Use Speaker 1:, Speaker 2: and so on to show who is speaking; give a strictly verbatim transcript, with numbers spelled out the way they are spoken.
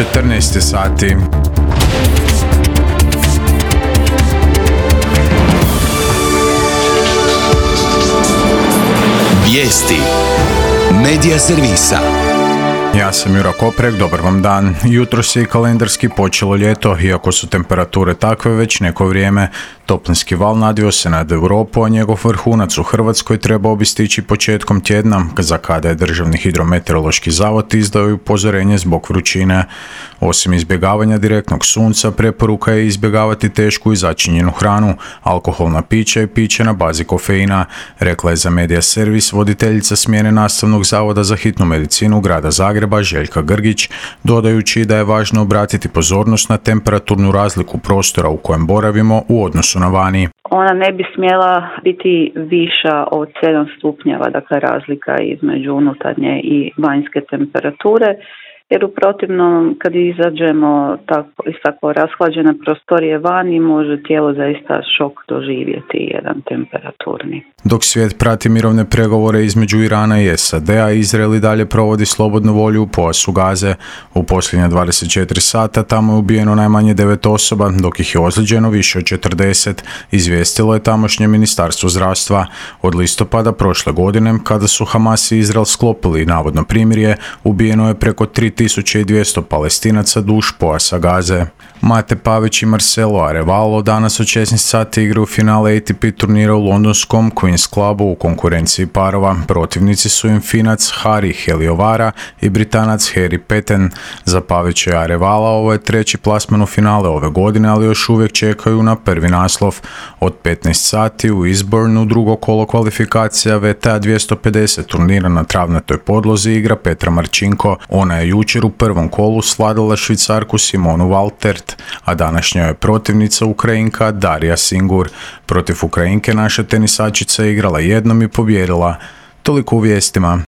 Speaker 1: četrnaest sati.
Speaker 2: Vijesti Medija servisa.
Speaker 1: Ja sam Jura Koprek, dobar vam dan. Jutros je i kalendarski počelo ljeto, iako su temperature takve već neko vrijeme. Toplinski val nadvio se nad Europu, a njegov vrhunac u Hrvatskoj trebao bi stići početkom tjedna, za kada je Državni hidrometeorološki zavod izdao upozorenje zbog vrućine. Osim izbjegavanja direktnog sunca, preporuka je izbjegavati tešku i začinjenu hranu, alkoholna pića i piće na bazi kofeina, rekla je za Medija servis voditeljica smjene Nastavnog zavoda za hitnu medicinu grada Zagreba Željka Grgić, dodajući da je važno obratiti pozornost na temperaturnu razliku prostora u kojem boravimo u odnosu na vani.
Speaker 3: Ona ne bi smjela biti viša od sedam stupnjeva, dakle razlika između unutarnje i vanjske temperature, jer u protivnom kad izađemo tako, iz tako rashlađene prostorije vani može tijelo zaista šok doživjeti jedan temperaturni.
Speaker 1: Dok svijet prati mirovne pregovore između Irana i S A D-a, Izrael i dalje provodi slobodnu volju u pojasu Gaze. U posljednja dvadeset četiri sata tamo je ubijeno najmanje devet osoba, dok ih je ozlijeđeno više od četrdeset, izvijestilo je tamošnje ministarstvo zdravstva. Od listopada prošle godine, kada su Hamas i Izrael sklopili navodno primirje, ubijeno je preko tri tisuće dvjesto Palestinaca duž pojasa Gaze. Mate Pavić i Marcelo Arevalo danas od šesnaest sati igraju finale A T P turnira u londonskom Queen's Clubu u konkurenciji parova. Protivnici su im Finac Hari Heliovara i Britanac Harry Peten. Za Pavića i Arevala ovo je treći plasman u finale ove godine, ali još uvijek čekaju na prvi naslov. Od petnaest sati u Eastbournu drugo kolo kvalifikacija W T A dvjesto pedeset turnira na travnatoj podlozi igra Petra Marčinko. Ona je jučer u prvom kolu svladala Švicarku Simonu Valtert, a današnja je protivnica Ukrajinka Darija Singur. Protiv Ukrajinke naša tenisačica je igrala jednom i pobijedila. Toliko u vijestima.